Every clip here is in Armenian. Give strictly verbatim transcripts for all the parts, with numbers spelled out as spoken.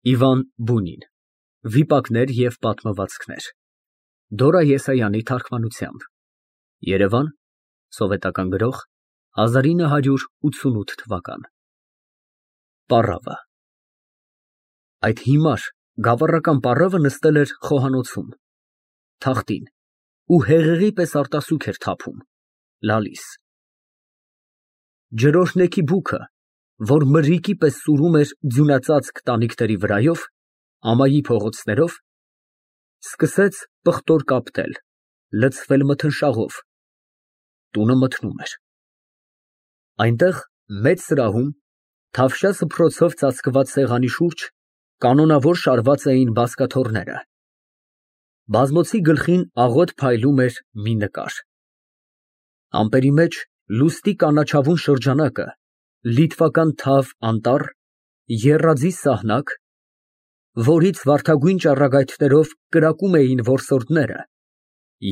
Իվան Բունին, Վիպակներ և պատմվածքներ, Դորա Եսայանի թարգմանությամբ, Երևան, Սովետական Գրող, հազար ինը հարյուր ութսունութ թվական։ Պառավը Այդ հիմար, գավառական պառավը նստել էր խոհանոցում, թախտին ու հեղեղի պես արտասուք էր թափում, լալիս։ Ջրօրհնեքի բուքը, որ մրրիկի պես սուրում էր ձյունածածկ տանիքների վրայով, ամայի փողոցներով, սկսեց պղտոր կապտել, լցվել մթնշաղով, տունը մթնում էր։ Այնտեղ մեծ սրահում, թավշյա սփռոցով ծածկված սեղանի շուրջ, կանոնավոր շարված էին բազկաթոռները։ Բազմոցի գլխին աղոտ փայլում էր մի նկար։ Ամպերի մեջ լուստի կանաչավուն շրջանակը, լիտվական թավ անտառ, եռաձի սահնակ, որից վարդագույն ճառագայթներով կրակում էին որսորդները,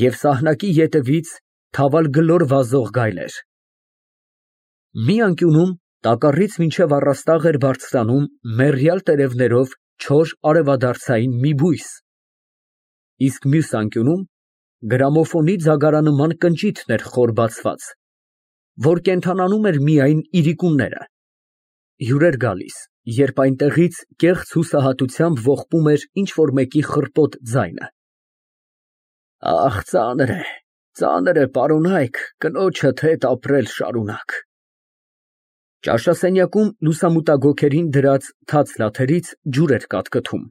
և սահնակի ետևից թավալգլոր վազող գայլեր։ Մի անկյունում տակառից մինչև առաստաղ էր բարձրանում մեռյալ տերևներով չոր արևադարձային մի բույս, իսկ մյուս անկյունում գրամոֆոնի ձագարանման կնճիթն էր խոր բացված, որ կենդանանում էր միայն իրիկունները։ Հյուրեր գալիս, երբ այնտեղից կեղծ հուսահատությամբ ողբում էր ինչ֊որ մեկի խռպոտ ձայնը։ Ահ, ծանր է, ծանր է, պարոնայք, կնոջդ հետ ապրել շարունակ։ Ճաշասենյակում լուսամուտագոգերին դրած թաց լաթերից ջուր էր կատկթում։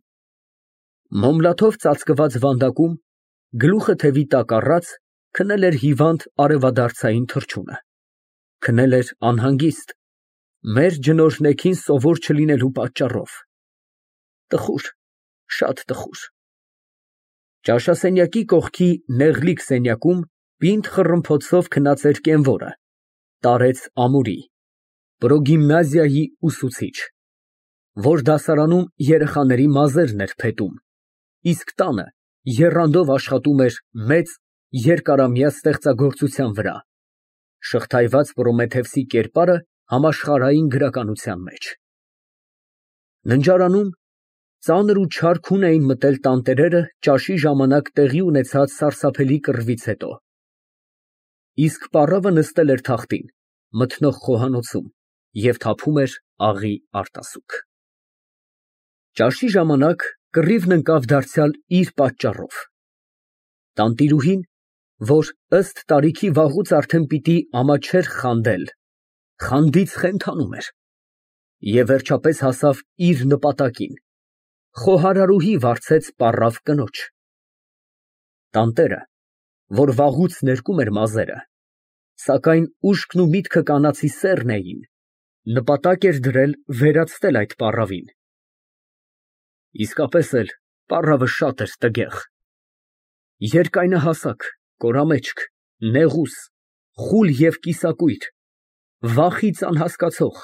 Մոմլաթով ծածկված վանդակում, գլուխը թևի տակ առած, քնել էր հիվանդ արևադարձային թռչունը, քնել էր անհանգիստ, մեր ջնօրհնեքին սովոր չլինելու պատճառով։ Տխուր, շատ տխուր։ Ճաշասենյակի կողքի նեղլիկ սենյակում պինդ խռմփոցով քնած էր կենվորը, տարեց ամուրի, պրոգիմնազիայի ուսուցիչ, որ դասարանում երեխաների մազերն էր փետում, իսկ տանը եռանդով աշխատում էր մեծ, երկարամյա ստեղծագործության վրա, շղթայված Պրոմեթևսի կերպարը համաշխարհային գրականության մեջ։ Ննջարանում ծանր ու չար քուն էին մտել տանտերերը ճաշի ժամանակ տեղի ունեցած սարսափելի կռվից հետո, իսկ պառավը նստել էր թախտին, մթնող խոհանոցում և թափում էր աղի արտասուք։ Ճաշի ժամանակ կռիվն ընկավ դարձյալ իր պատճառով։ Տանտիրուհին, որ ըստ տարիքի վաղուց արդեն պիտի ամաչեր խանդել, խանդից խենթանում էր և վերջապես հասավ իր նպատակին, խոհարարուհի վարձեց պառավ կնոջ։ Տանտերը, որ վաղուց ներկում էր մազերը, սակայն ուշքն ու միտքը կանացի սեռն էին, նպատակ էր դրել վերացնել այդ պառավին։ Իսկապես էլ պառավը շատ էր տգեղ, երկայնահասակ, կորամեջք, նեղուս, խուլ և կիսակույր, վախից անհասկացող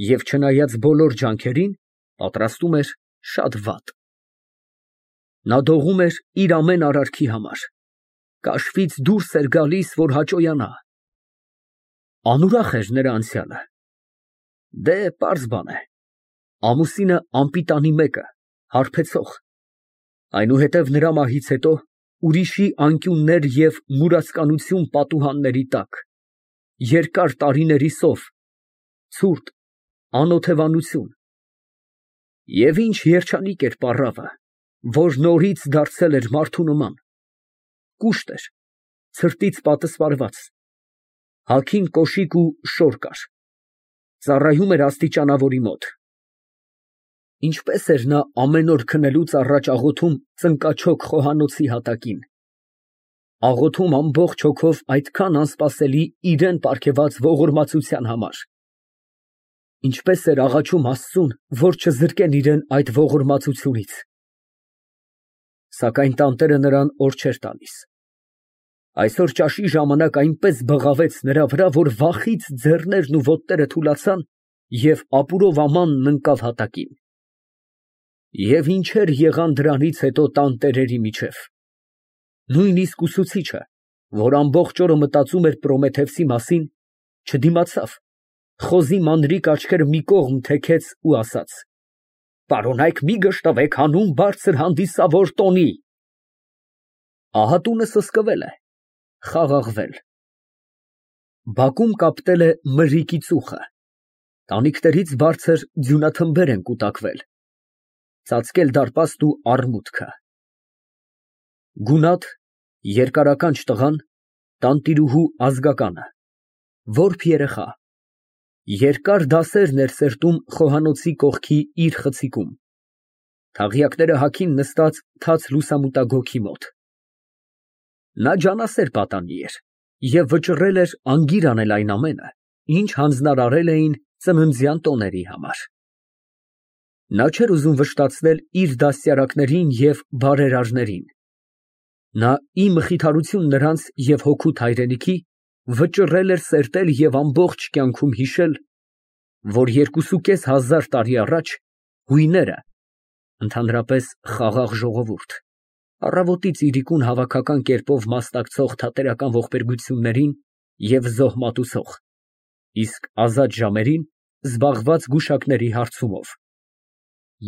և չնայած բոլոր ջանքերին, պատրաստում էր շատ վատ։ Նա դողում էր իր ամեն արարքի համար, կաշվից դուրս էր գալիս, որ հաճոյանա։ Անուրախ էր նրա անցյալը։ Դե, պարզ բան է, ամուսինը անպիտանի մեկը, հարբեցող, այնուհետև նրա մահից հետո ուրիշի անկյուններ և մուրացկանություն պատուհանների տակ, երկար տարիների սով, ցուրտ, անօթևանություն։ Եվ ինչ երջանիկ էր պառավը, որ նորից դարձել էր մարդու նման, կուշտ էր, ցրտից պատսպարված, հագին կոշիկ ու շոր կար, ծառայում էր աստիճանավորի մոտ։ Ինչպես էր նա ամեն օր քնելուց առաջ աղոթում ծնկաչոք խոհանոցի հատակին, աղոթում ամբողջ հոգով այդքան անսպասելի իրան պարգևած ողորմածության համար, ինչպես էր աղաչում Աստծուն, որ չզրկեն իրան այդ ողորմածությունից։ Սակայն տանտերը նրան օր չէր տալիս։ Այսօր ճաշի ժամանակ այնպես բղավեց նրա վրա, որ վախից ձեռներն ու ոտները թուլացան և ապուրով ամանն ընկավ հատակին։ Եվ ինչեր եղան դրանից հետո տանտերերի միջև։ Նույնիսկ ուսուցիչը, որ ամբողջ օրը մտածում էր Պրոմեթևսի մասին, չդիմացավ, խոզի մանրիկ աչքերը մի կողմ թեքեց ու ասաց. պարոնայք մի գժտվեք հանուն բարձր հանդիսավոր տոնի։ Ահա տունը սսկվել է, խաղաղվել։ Բակում կապտել է մրրիկի ծուխը, տանիքներից բարձր ձյունաթմբեր են կուտակվել, ծածկել դարպաստ ու առմուտքը։ Գունատ, երկարականջ տղան, տանտիրուհու ազգականը, որբ երեխա, երկար դասերն էր սերտում խոհանոցի կողքի իր խցիկում, թաղյակները հագին նստած թաց լուսամուտագոգի մոտ։ Նա ջանասեր պատանի էր և վճռել էր անգիր անել այն ամենը, ինչ հանձնարարել էին ծննդյան տոների համար։ Նա չէր ուզում վշտացնել իր դաստիարակներին և բարերարներին։ Նա ի մխիթարություն նրանց և հօգուտ հայրենիքի վճռել էր սերտել և ամբողջ կյանքում հիշել, որ երկուսուկես հազար տարի առաջ հույները, ընդհանրապես խաղաղ ժողովուրդ, առավոտից իրիկուն հավաքական կերպով մասնակցող թատերական ողբերգություններին և զոհ մատուցող, իսկ ազատ ժամերին զբաղված գուշակների հարցումով,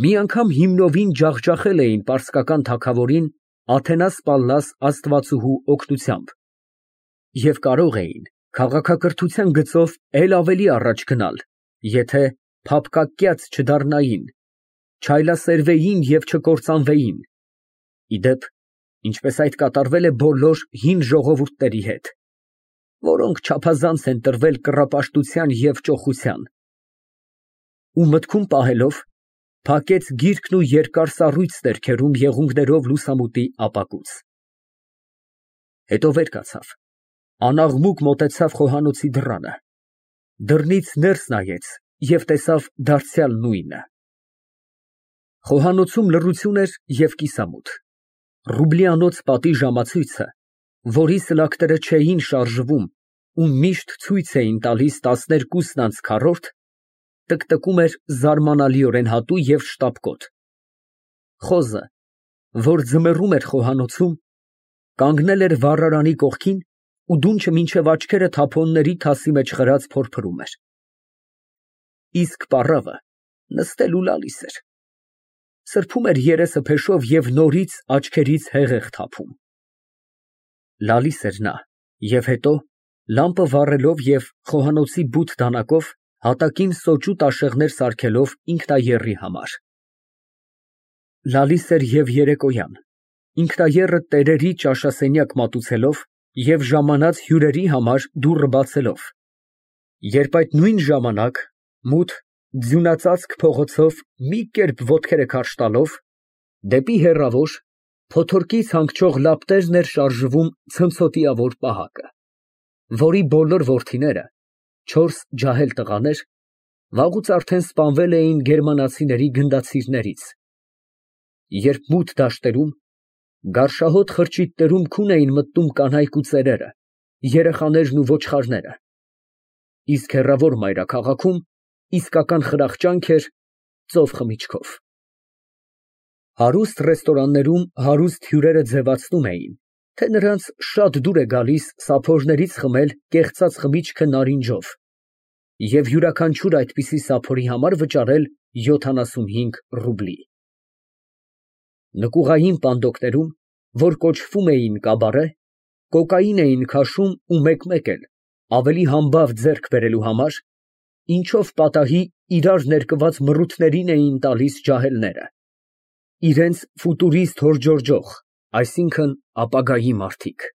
մի անգամ հիմնովին ջախջախել էին պարսկական թագավորին Աթենաս Պալլաս աստվածուհու օգնությամբ և կարող էին քաղաքակրթության գծով էլ ավելի առաջ գնալ, եթե փափկակյաց չդառնային, չայլասերվեին և չկործանվեին, ի դեպ, ինչպես այդ կատարվել է բոլոր հին ժողովուրդների հետ, որոնք չափազանց են տրվել կռապաշտության և ճոխության, ու մտքում պահելով, փակեց գիրքն ու երկար սառույց ձեռքերում եղունգներով լուսամուտի ապակուց։ Հետո վեր կացավ, անաղմուկ մոտեցավ խոհանոցի դռանը, դռնից ներս նայեց և տեսավ դարձյալ նույնը։ Խոհանոցում լռություն էր և կիսամութ, Ռուբլիանոց պատի ժամացույցը, որի սլակները չէին շարժվում ու միշտ ցույց էին տալիս տասներկուսն անց քառորդ, տկտկում էր զարմանալիորեն հատու և շտապկոտ։ Խոզը, որ ձմեռում էր խոհանոցում, կանգնել էր վառարանի կողքին ու դունչը մինչև աչքերը թափոնների թասի մեջ խրած փորփրում էր։ Իսկ պառավը նստել ու լալիս էր, սրբում էր երեսը փեշով և նորից աչքերից հեղեղ թափում։ Լալիս էր նա և հետո, լամպը վառելով և խոհանոցի բութ դանակով հատակին սոճու տաշեղներ սարքելով ինքնաեռի համար։ Լալիս էր և երեկոյան, ինքնաեռը տերերի ճաշասենյակ մատուցելով և ժամանած հյուրերի համար դուռը բացելով, երբ այդ նույն ժամանակ, մութ, ձյունածածկ փողոցով մի կերպ ոտքերը քարշ տալով, դեպի հեռավոր, փոթորկից հանգչող լապտերն էր շարժվում ցնցոտիավոր պահակը, որի բոլոր որդիները, չորս ջահել տղաներ, վաղուց արդեն սպանվել էին գերմանացիների գնդացիրներից, երբ մութ դաշտերում, գարշահոտ խրճիթներում քուն էին մտնում կանայք ու ծերերը, երեխաներն ու ոչխարները, իսկ հեռավոր մայրաքաղաքում իսկական խրախճանք էր ծով խմիչքով։ Հարուստ ռեստորաններում հարուստ հյուրերը ձևացնում էին, թե նրանց շատ դուր է գալիս սափորներից խմել կեղծած խմիչքը նարինջով և յուրաքանչյուր այդպիսի սափորի համար վճարել յոթանասունհինգ ռուբլի։ Նկուղային պանդոկներում, որ կոչվում էին կաբարե, կոկային էին քաշում ու մեկ֊մեկ էլ, ավելի համբավ ձեռք բերելու համար, ինչով պատահի իրար ներկված մռութներին էին տալիս ջահելները, իրենց ֆուտուրիստ հորդորջող, այսինքն ապագայի մարդիկ։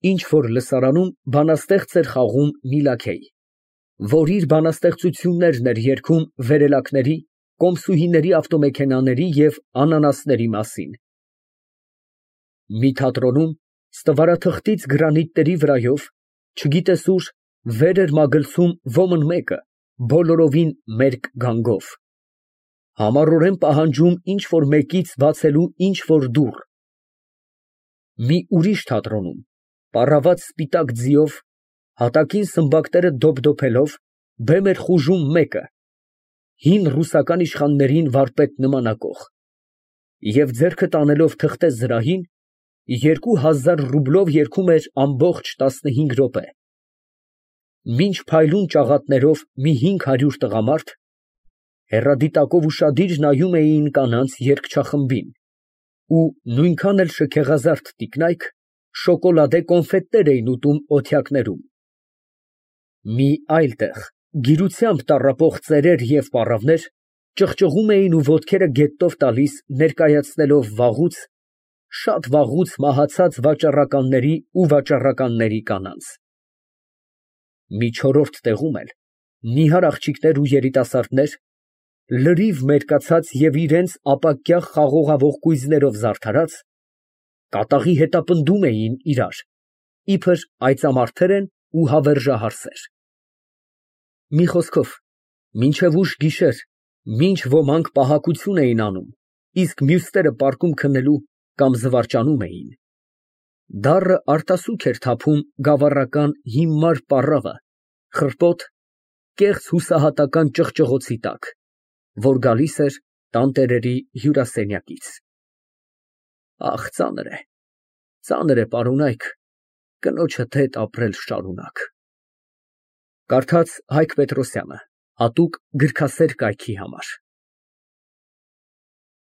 Ինչ֊որ լսարանում բանաստեղծ էր խաղում մի լաքեյ, որ իր բանաստեղծություններն էր երգում վերելակների, կոմսուհիների ավտոմեքենաների և անանասների մասին։ Մի թատրոնում, ստվարաթղթից գրանիտների վրայով, չգիտես ուր, վեր էր մագլցում ոմն մեկը, բոլորովին մերկ գանգով, համառորեն պահանջում ինչ֊որ մեկից բացելու ինչ֊որ դուռ։ Մի ուրիշ թատրոնում, պառաված սպիտակ ձիով, հատակին սմբակները դոփդոփելով, բեմ էր խուժում մեկը, հին ռուսական իշխաններին վարպետ նմանակող, և ձեռքը տանելով թղթե զրահին, երկու հազար ռուբլով երգում էր ամբողջ տասնհինգ րոպե, մինչ փայլուն ճաղատներով մի հինգ հարյուր տղամարդ, Հեռադիտակով ուշադիր նայում էին կանանց երգչախմբին ու նույնքան էլ շքեղազարդ տիկնայք շոկոլադե կոնֆետներ էին ուտում օթյակներում։ Մի այլ տեղ գիրությամբ տառապող ծերեր և պառավներ ճղճղում էին ու ոտքերը գետով տալիս, ներկայացնելով վաղուց, շատ վաղուց մահացած վաճառականների ու վաճառականների կանանց։ Մի չորրորդ տեղում էլ նիհար աղջիկներ ու երիտասարդներ, լրիվ մերկացած և իրանց ապակյա խաղողավող կույզերով զարդարած, կատաղի հետապնդում էին իրար, իբր այծամարդեր են ու հավերժահարսեր։ Մի խոսքով, մինչև ուշ գիշեր, մինչ ոմանք պահակություն էին անում, իսկ մյուսները պարկում քնելու կամ զվարճանում էին, դառը արտասուք էր թափում գավառական հիմար պառավը խռպոտ, կեղծ հուսահատական ճղճղոցի տակ, որ գալիս էր տանտերերի հյուրասենյակից։ Ահ, ծանր է, ծանր է, պարոնայք, կնոջդ հետ ապրել շարունակ։ Կարդաց Հայկ Պետրոսյանը, հատուկ գրքասեր կայքի համար։